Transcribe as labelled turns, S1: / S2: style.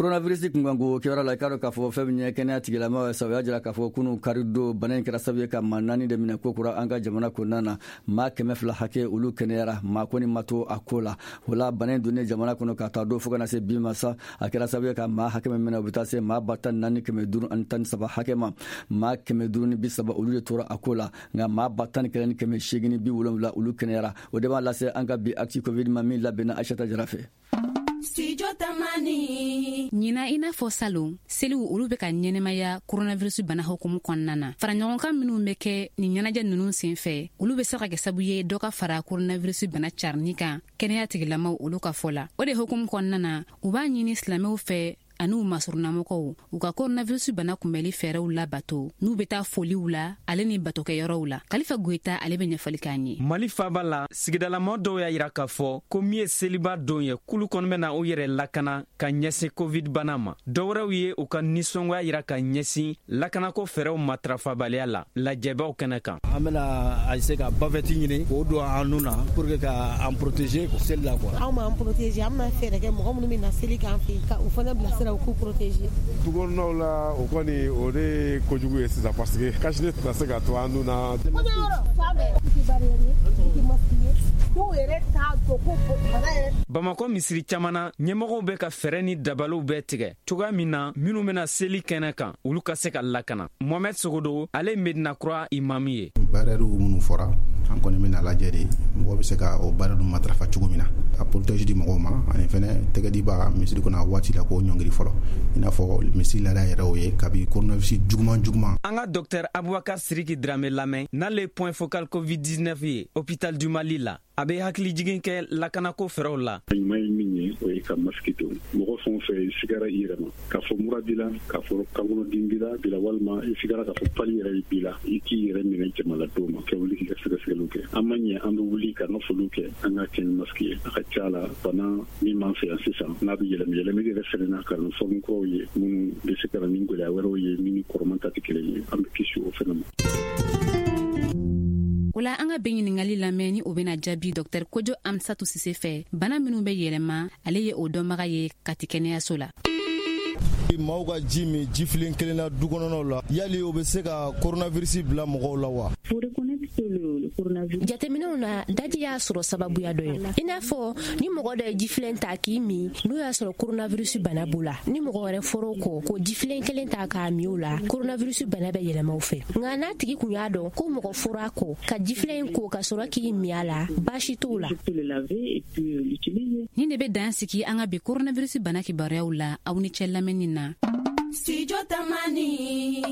S1: Coronavirus kunkanko kibaruya la, i k'a dɔn k'a fɔ fɛn min ye kɛnɛya tigilamaw ye sa, o y'a jira k'a fɔ kunu karidon, bana in kɛra sababu ye ka maa 4 de minɛ kokura an ka jamana kɔnɔna na. Maa 200 hakɛ, olu kɛnɛyara, maa kɔni ma to a ko la. O la, bana in donnen jamana kɔnɔ ka taa don fo ka na se bi ma sa, a kɛra sababu ye ka maa hakɛ min minɛ, o bɛ taa se maa 14,513 hakɛ ma. Maa 530, olu de tora a ko la, nka maa 11,870, olu kɛnɛyara. O de b'a lase an ka bi Actu Covid ma, min labɛnna Aïssata Jara fɛ.
S2: Studio Tamani.
S3: Ɲina, i n'a fɔ salon, seliw olu bɛ ka ɲɛnɛmaya coronavirus bana hukumu kɔnɔna na. Faraɲɔgɔnkan minw bɛ kɛ nin ɲɛnajɛ ninnu sen fɛ, olu bɛ se ka kɛ sabu ye dɔ ka fara coronavirus bana carinni kan, kɛnɛya tigilamaw olu ka fɔ la. O de hukumu kɔnɔna na, u b'a ɲini silamɛw fɛ an'u masurunnamɔgɔw, u ka coronavirus bana kunbɛli fɛɛrɛw labato n'u bɛ taa foliw la ale ni batokɛyɔrɔw la. Kalifa Goyita, ale bɛ ɲɛfɔli k'an ye.
S4: Mali faba la, sigidalama dɔw y'a yira k'a fɔ ko min ye seliba don ye, k'olu kɔni bɛna u yɛrɛ lakana ka ɲɛsin COVID bana ma. Dɔwɛrɛw ye u ka nisɔngoya yira ka ɲɛsin lakanako fɛɛrɛw matarafabaliya la lajɛbaw kɛnɛ kan.
S5: An bɛna a essayer ka bavette ɲini k'o don an nun na pour que ka an protéger seli la quoi.
S6: Anw m'an protéger, an bɛna fɛɛrɛ kɛ mɔgɔ minnu bɛ na seli k'an fɛ ka u fana bilasira, u k'u protéger.
S7: Dukɔnɔnaw la, o kɔni, o de ye kojugu ye sisan, parce que cache-nez tɛna se ka to an nun na.
S6: Kɔɲɔyɔrɔ fan bɛɛ, i tɛ barrière ye, i tɛ masque ye, dɔw yɛrɛ t'a dɔn ko bana yɛrɛ.
S4: Bamakɔ misiri caman na, ɲɛmɔgɔw bɛ ka fɛɛrɛ ni dabaliw bɛɛ tigɛ cogoya min na, minnu bɛna seli kɛnɛ kan, olu ka se ka lakana. Mohamɛd Sogodogo, ale ye Medina Kura imamu ye.
S8: Barrière minnu fɔra, an kɔni bɛna lajɛ de mɔgɔ bɛ se ka o barrière matarafa cogo min na, ka protège di mɔgɔw ma, ani fɛnɛ tɛgɛdiba misiri kɔnɔ a waati la, k'o ɲɔngiri fɔlɔ, i n'a fɔ misiri laada yɛrɛ o ye kabi coronavirus juguman juguman.
S4: An ka docteur Abubakar Siriki Drame lamɛn, n'ale ye point focal COVID-19 ye Hôpital du Mali la. A bɛ hakilijigin kɛ lakanako fɛɛrɛw la.
S9: A ɲuman ye min ye, o ye ka masiki don. Mɔgɔ fɛn o fɛn sigara i yɛrɛ ma k'a fɔ mura b'i la, k'a fɔ kankɔnɔdimi b'i la bila, walima i sigara k'a fɔ pali yɛrɛ b'i la, i k'i yɛrɛ minɛ jama la don ma kɛ wuli k'i ka sɛgɛsɛgɛliw kɛ. An ma ɲɛ, an bɛ wuli k'an ka foliw kɛ, an ka kɛ ni masiki ye. A ka ca la, bana min b'an fɛ yan sisan, n'a bɛ yɛlɛma yɛlɛmali yɛrɛ fɛnɛ na ka na forme kuraw ye minnu bɛ se ka na ni gɛlɛya wɛrɛw ye min ni kɔrɔman ta tɛ kelen ye, an bɛ kisi o fɛnɛ ma.
S3: O la, an ka bɛ ɲiningali lamɛn ni o bena jaabi Dɔktɛr Kojo Amsatu Sise fɛ, bana minw bɛ yɛlɛma, ale ye o dɔnbaga ye Kati kɛnɛyaso la.
S5: Maaw ka ji min jifilen kelen na du kɔnɔnaw la, yali o bɛ se ka coronavirus bila mɔgɔw la wa?
S10: Jateminɛw na, daji y'a sɔrɔ sababuya dɔ ye. I n'a fɔ ni mɔgɔ dɔ ye jifilen ta k'i min, n'o y'a sɔrɔ coronavirus bana b'o la, ni mɔgɔ wɛrɛ fɔr'o kɔ k'o jifilen kelen ta k'a min o la, coronavirus bana bɛ yɛlɛma o fɛ. Nka n'a tigi kun y'a dɔn ko mɔgɔ fɔr'a kɔ ka jifilen ko ka sɔrɔ k'i min a la, baasi t'o la.
S3: Nin de bɛ dan sigi an ka bi coronavirus bana kibaruyaw la. Aw ni cɛ lamɛnni na.
S2: Studio Tamani.